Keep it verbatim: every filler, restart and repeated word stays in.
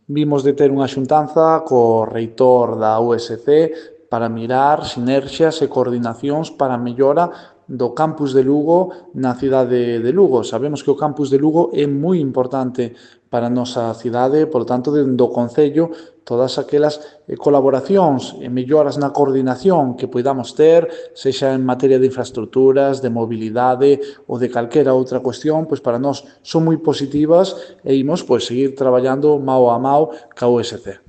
vimos de ter unha xuntanza co reitor da U S C para mirar sinerxias e coordinacións para a mellora do campus de Lugo na cidade de Lugo. Sabemos que o campus de Lugo é moi importante para a nosa cidade, por tanto, dentro do Concello, todas aquelas colaboracións e melloras na coordinación que poidamos ter, sexa en materia de infraestructuras, de mobilidade ou de calquera outra cuestión, pois para nós son moi positivas e imos pois seguir traballando mao a mao ca U S C.